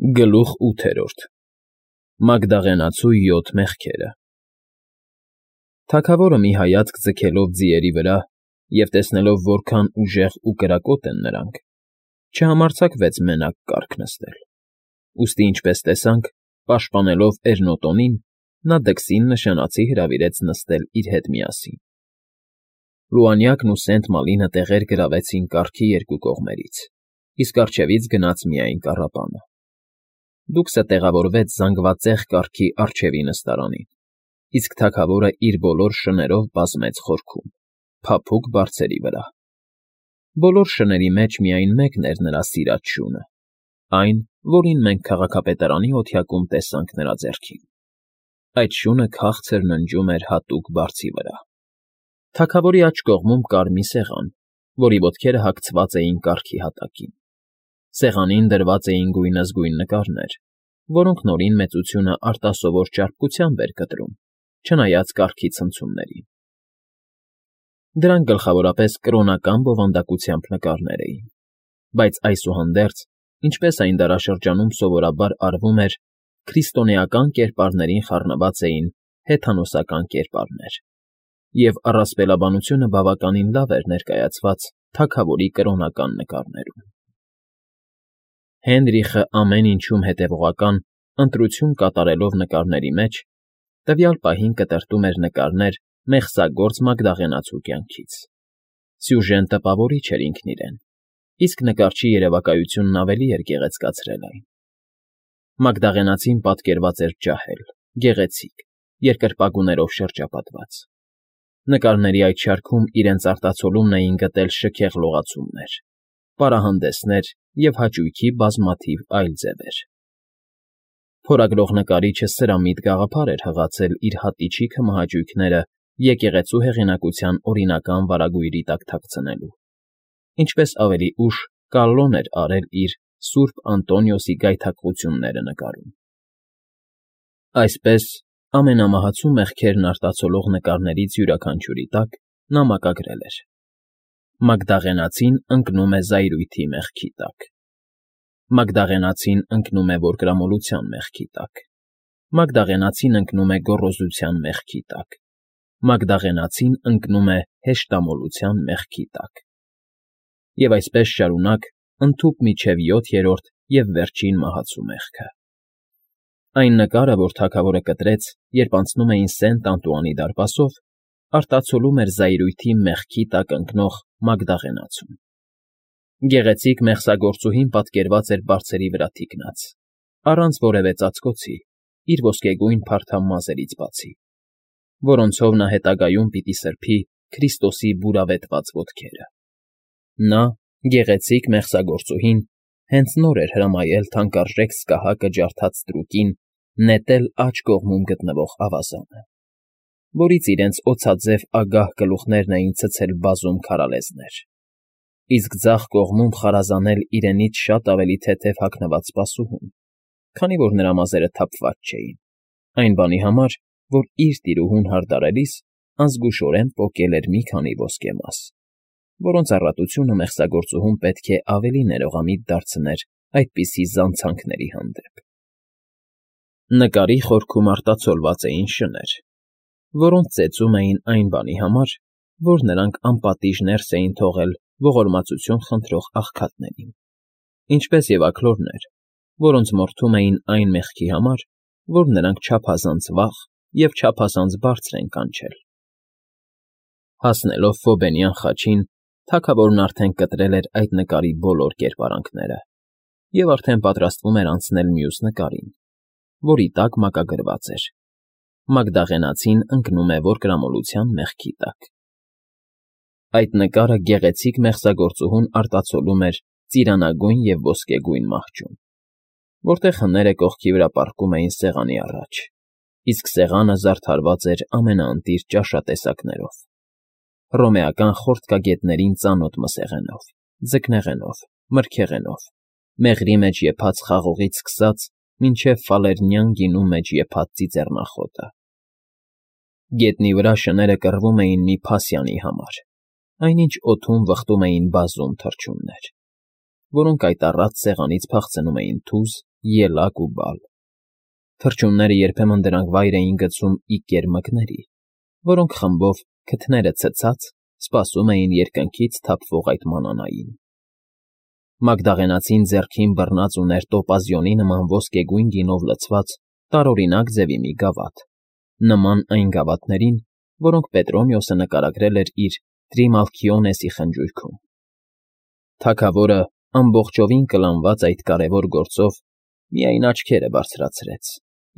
Գլուխ 8 Մագդաղենացու 7 մեղքերը Թագավորը մի հայացք ձգելով ձիերի վրա և տեսնելով որքան ուժեղ ու կրակոտ են նրանք, չհամարձակվեց մենակ կառք նստել, ուստի ինչպես տեսանք, պաշտպանելով Էրնոտոնին, նա դքսին նշանացի հրավիրեց նստել իր հետ միասին։ Լուանյակն ու Սենտ Մալինը տեղեր գրավեցին կառքի երկու կողմերից, իսկ առջևից գնաց միայն կառապանը։ Դուքսը տեղավորվեց զանգվածեղ կառքի առջևի նստարանին, իսկ թագավորը իր բոլոր շներով բազմեց խորքում, փափուկ բարձերի վրա։ Բոլոր շների մեջ միայն մեկն էր նրա սիրած շունը, այն, որին մենք քաղաքապետարանի օթյակում տեսանք նրա ձեռքին։ Այդ շունը քաղցր ննջում էր հատուկ բարձի վրա։ Թագավորի աջ կողմում կար մի սեղան, որի ոտքերը հագցված էին կառքի հատակին։ Սեղանին դրված էին գույնզգույն նկարներ, որոնք Նորին մեծությունը արտասովոր ճարպկությամբ էր կտրում, չնայած կառքի ցնցումներին։ Դրանք գլխավորապես կրոնական բովանդակությամբ նկարներ էին, բայց այսուհանդերձ, ինչպես այն դարաշրջանում սովորաբար արվում էր, քրիստոնեական կերպարներին խառնված էին հեթանոսական կերպարներ, և առասպելաբանությունը բավականին լավ էր ներկայացված թագավորի կրոնական նկարներում։ Հենրիխը ամեն ինչում հետևողական ընտրություն կատարելով նկարների մեջ, տվյալ պահին կտրտում էր նկարներ մեղսագործ մագդաղենացու կյանքից։ Սյուժեն տպավորիչ էր ինքն իրեն, իսկ նկարչի երևակայությունն ավելի էր գեղեցկացրել այն։ Մագդաղենացին պատկերված էր ջահել, գեղեցիկ, երկրպագուներով շրջապատված։ Նկարների այդ շարքում իրենց արտացոլումն էին գտել շքեղ լողացումներ, պարահանդեսներ և հաճույքի բազմաթիվ այլ ձևեր։ Փորագրող նկարիչը սրամիտ գաղափար էր հղացել իր հատիչի քմահաճույքները եկեղեցու հեղինակության օրինական վարագույրի տակ թաքցնելու, ինչպես ավելի ուշ Կալլոն էր արել իր Սուրբ Անտոնիոսի գայթակղությունները նկարում։ Այսպես, ամենամահացու մեղքերն արտացոլող նկարներից յուրաքանչյուրի տակ նա մակագրել էր. Մագդաղենացին ընկնում է զայրույթի մեղքի տակ։ Մագդաղենացին ընկնում է որկրամոլության մեղքի տակ։ Մագդաղենացին ընկնում է գոռոզության մեղքի տակ։ Մագդաղենացին ընկնում է հեշտամոլության մեղքի տակ։ Եվ այսպես շարունակ, ընդհուպ մինչև 7-րդ և վերջին մահացու մեղքը։ Այն նկարը, որ թագավորը կտրեց, երբ անցնում էին Սենտ Անտուանի դարպասով, արտացոլում էր զայրույթի մեղքի տակ ընկնող Մագդաղենացուն։ Գեղեցիկ մեղսագործուհին պատկերված էր բարձերի վրա թիկնած, առանց որևէ ծածկոցի, իր ոսկեգույն փարթամ մազերից բացի, որոնցով նա հետագայում պիտի սրբի Քրիստոսի բուրավետված ոտքերը։ Նա, գեղեցիկ մեղսագործուհին, հենց նոր էր հրամայել թանկարժեք սկահակը ջարդած ստրուկին նետել աջ կողմում գտնվող ավազանը, որից իրենց օձաձև ագահ գլուխներն էին ցցել բազում քարալեզներ, իսկ ձախ կողմում խարազանել իրենից շատ ավելի թեթև հագնված սպասուհուն, քանի որ նրա մազերը թափված չէին, այն բանի համար, որ իր տիրուհուն հարդարելիս անզգուշորեն պոկել էր մի քանի ոսկեմաս, որոնց առատությունը մեղսագործուհուն պետք է ավելի ներողամիտ դարձներ այդպիսի զանցանքների հանդեպ։ Նկարի խորքում արտացոլված էին շներ, որոնց ծեծում էին այն բանի համար, որ նրանք անպատիժ ներս էին թողել ողորմածություն խնդրող աղքատներին, ինչպես և աքլորներ, որոնց մորթում էին այն մեղքի համար, որ նրանք չափազանց վաղ և չափազանց բարձր են կանչել։ Հասնելով Ֆոբենյան խաչին, թագավորն արդեն կտրել էր այդ նկարի բոլոր կերպարանքները և արդեն պատրաստվում էր անցնել մյուս նկարին, որի տակ մակագրված էր. Մագդաղենացին ընկնում է որկրամոլության մեղքի տակ։ Այդ նկարը գեղեցիկ մեղսագործուհուն արտացոլում էր ծիրանագույն և ոսկեգույն մահճում, որտեղ հները կողքի վրա պառկում էին սեղանի առաջ, իսկ սեղանը զարդարված էր ամենաընտիր ճաշատեսակներով. հռոմեական խորտկագետներին ծանոթ մսեղենով, ձկնեղենով, մրգեղենով, մեղրի մեջ եփած խաղողից սկսած մինչև ֆալեռնյան գինու մեջ եփած ծիծեռնախոտը։ Գետնի վրա շները կռվում էին մի փասյանի համար, այնինչ օդում վխտում էին բազում թռչուններ, որոնք այդ առատ սեղանից փախցնում էին թուզ ելակ ու բալ։ Թռչունները երբեմն դրանք վայր էին գցում իկեր մկների, որոնք խմբով, քթները ցցած, սպասում էին երկնքից թափվող այդ մանանային։ Մագդաղենացին ձեռքին բռնած ուներ տոպազիոնի նման ոսկեգույն գինով լցված տարօրինակ ձևի մի գավաթ, նման այն գավաթներին, որոնք Պետրոմիոսը նկարագրել էր իր Տրիմալքիոնեսի խնջույքում։ Թագավորը, ամբողջովին կլանված այդ կարևոր գործով, միայն աչքերը բարձրացրեց,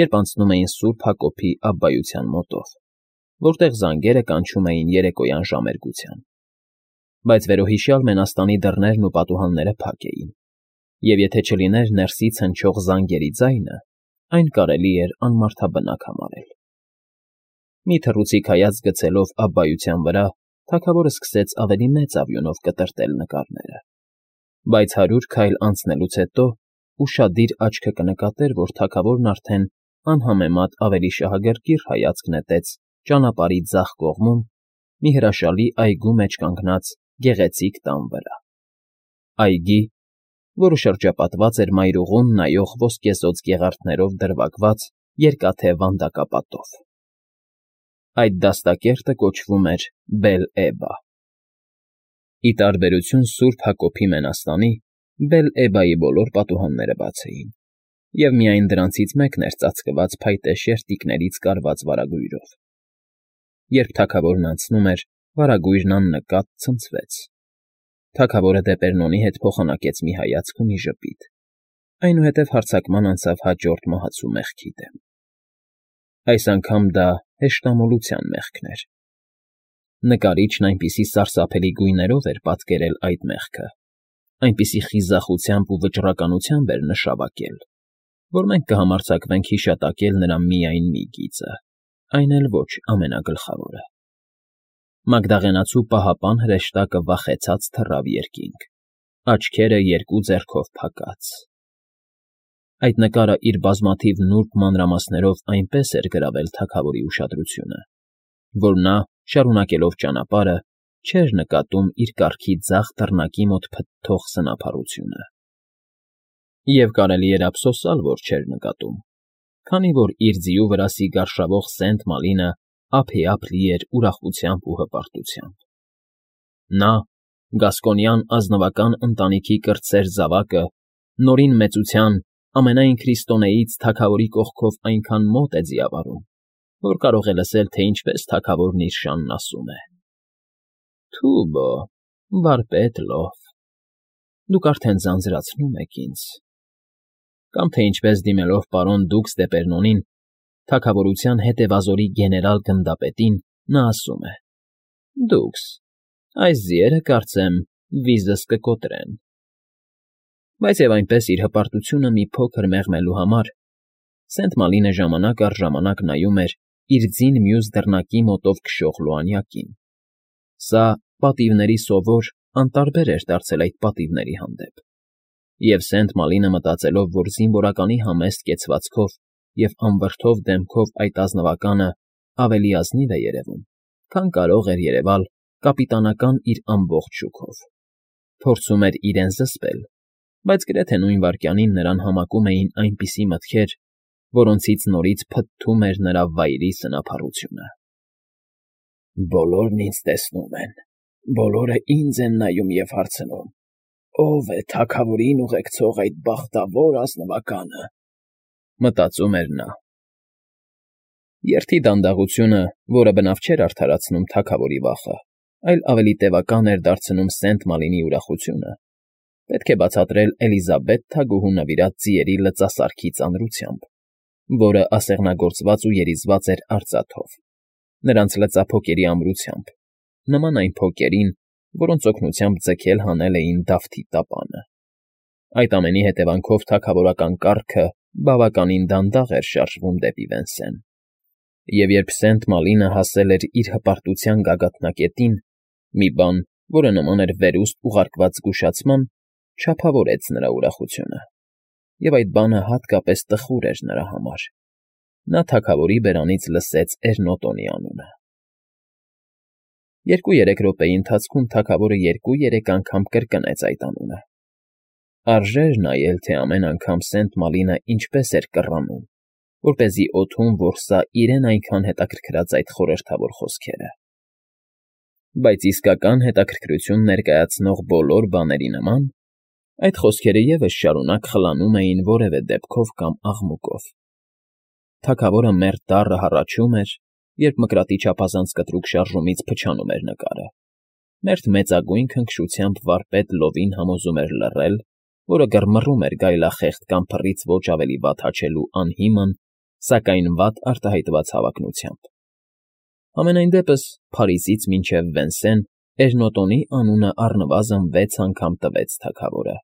երբ անցնում էին Սուրբ Հակոբի աբբայության մոտով, որտեղ զանգերը կանչում էին երեկոյան ժամերգության։ Բայց վերոհիշյալ մենաստանի դռներն ու պատուհանները փակ էին, և եթե չլիներ ներսից հնչող զանգերի ձայնը, այն կարելի էր անմարդաբնակ համարել։ Մի թռուցիկ հայացք գցելով աբբայության վրա, թագավորը սկսեց ավելի մեծ ավյունով կտրտել նկարները, բայց 100 քայլ անցնելուց հետո ուշադիր աչքը կնկատեր, որ թագավորն արդեն անհամեմատ ավելի շահագրգիռ հայացք նետեց ճանապարհի ձախ կողմում մի հրաշալի այգու մեջ կանգնած գեղեցիկ տան վրա, այգի, որը շրջապատված էր մայրուղուն նայող ոսկեզօծ գեղարդներով դրվագված երկաթե վանդակապատով։ Այդ դաստակերտը կոչվում էր Բել֊Էբա։ Ի տարբերություն Սուրբ Հակոբի մենաստանի, Բել֊Էբայի բոլոր պատուհանները բաց էին, և միայն դրանցից մեկն էր ծածկված փայտե շերտիկներից կարված վարագույրով։ Երբ թագավորն անցնում էր, վարագույրն աննկատ ցնցվեց։ Թագավորը Դեպերնոնի հետ փոխանակեց մի հայացք ու մի ժպիտ, այնուհետև հարձակման անցավ հաջորդ մահացու մեղքի դեմ։ Այս անգամ դա հեշտամոլության մեղքն էր։ Նկարիչն այնպիսի սարսափելի գույներով էր պատկերել այդ մեղքը, այնպիսի խիզախությամբ ու վճռականությամբ էր նշավակել, որ մենք կհամարձակվենք հիշատակել նրա միայն մի գիծը, այն էլ ոչ ամենագլխավորը։ Մագդաղենացու պահապան հրեշտակը վախեցած թռավ երկինք, աչքերը երկու ձեռքով փակած։ Այդ նկարը իր բազմաթիվ նուրբ մանրամասներով այնպես էր գրավել թագավորի ուշադրությունը, որ նա, շարունակելով ճանապարհը, չէր նկատում իր կառքի ձախ դռնակի մոտ փթթող սնափառությունը։ Եվ կարելի էր ափսոսալ, որ չէր նկատում, քանի որ իր ձիու վրա սիգարշավող Սենտ Մալինը ափիափ լի էր ուրախությամբ ու հպարտությամբ։ Նա, գասկոնյան ազնվական ընտանիքի կրտսեր զավակը, նորին մեծության, ամենայն քրիստոնեից թագավորի կողքով այնքան մոտ է ձիավարում, որ կարող է լսել, թե ինչպես թագավորն իր շանն ասում է. «Թուբո, վարպետ լով, դուք արդեն ձանձրացնում եք ինձ»։ Կամ թե ինչպես դիմելով պարոն Դուքս Դեպերնոնին, թագավորության հետևազորի գեներալ գնդապետին, նա ասում է. «Դուքս, այս ձիերը, կարծեմ, վիզս կկոտրեն»։ Բայց և այնպես իր հպարտությունը մի փոքր մեղմելու համար Սենտ Մալինը ժամանակ առ ժամանակ նայում էր իր ձին մյուս դռնակի մոտով քշող լուանյակին։ Սա պատիվների սովոր, անտարբեր էր դարձել այդ պատիվների հանդեպ։ Եվ Սենտ Մալինը մտածելով, որ զինվորականի համեստ կեցվածքով և անվրդով դեմքով այդ ազնվականը ավելի ազնիվ է երևում, քան կարող էր երևալ կապիտանական իր ամբողջ շուքով, փորձում էր իրեն զսպել, բայց գրեթե նույն վայրկյանին նրան համակում էին այնպիսի մտքեր, որոնցից նորից փթթում էր նրա վայրի սնափառությունը։ «Բոլորն ինձ տեսնում են, բոլորը ինձ են նայում և հարցնում. ով է թագավորին ուղեկցող այդ բախտավոր ազնվականը», մտածում էր նա։ Երթի դանդաղությունը, որը բնավ չէր արդարացնում թագավորի վախը, այլ ավելի տևական էր դարձնում Սենտ Մալինի ուրախությունը, պետք է բացատրել Էլիզաբետ թագուհու նվիրած ձիերի լծասարքի ծանրությամբ, որը ասեղնագործված ու երիզված էր արծաթով, նրանց լծափոկերի ամրությամբ, նման այն փոկերին, որոնց օգնությամբ ձգել հանել էին Դավթի տապանը։ Այդ ամենի հետևանքով թագավորական կառքը բավականին դանդաղ էր շարժվում դեպի Վենսեն։ Եվ երբ Սենտ Մալինը հասել էր իր հպարտության գագաթնակետին, մի բան, որը նման էր վերուստ ուղարկված զգուշացման, չափավորեց նրա ուրախությունը, և այդ բանը հատկապես տխուր էր նրա համար։ Նա թագավորի բերանից լսեց Էրնոտոնի անունը։ 2-3 րոպեի ընթացքում թագավորը 2-3 անգամ կրկնեց այդ անունը։ Արժեր նայել, թե ամեն անգամ Սենտ Մալինը ինչպես էր կռանում, որպեսզի օդում որսա իրեն այնքան հետաքրքրած այդ խորհրդավոր խոսքերը։ Բայց իսկական հետաքրքրություն ներկայացնող բոլոր բաների նման, այդ խոսքերը ևս շարունակ խլանում էին որևէ դեպքով կամ աղմուկով։ Թագավորը մերթ դառը հառաչում էր, երբ մկրատի չափազանց կտրուկ շարժումից փչանում էր նկարը, մերթ մեծագույն քնքշությամբ վարպետ լովին համոզում էր լռել, որը գրմռում էր գայլախեղդ կամ փռից ոչ ավելի վատ հաչելու անհիմն, սակայն վատ արտահայտված հավակնությամբ։ Համենայն դեպս Փարիզից մինչև Վենսեն Էժնոտոնի անունը առնվազն 6 անգամ տվեց թագավորը,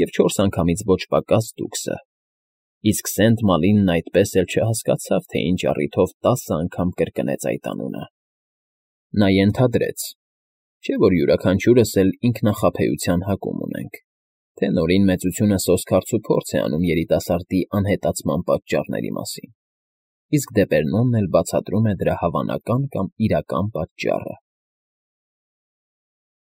և 4 անգամից ոչ պակաս դուքսը, իսկ Սենտ Մալինն այդպես էլ չհասկացավ, թե ինչ առիթով 10 անգամ կրկնեց այդ անունը։ Նա ենթադրեց, չէ՞ որ յուրաքանչյուրս էլ ինքնախաբեության հակում ունենք, թե նորին մեծությունը սոսկալց ու փորձ է անում երիտասարդի անհետացման պատճառների մասին, իսկ Դեպերնոնն էլ բացատրում է դրա հավանական կամ իրական պատճառը։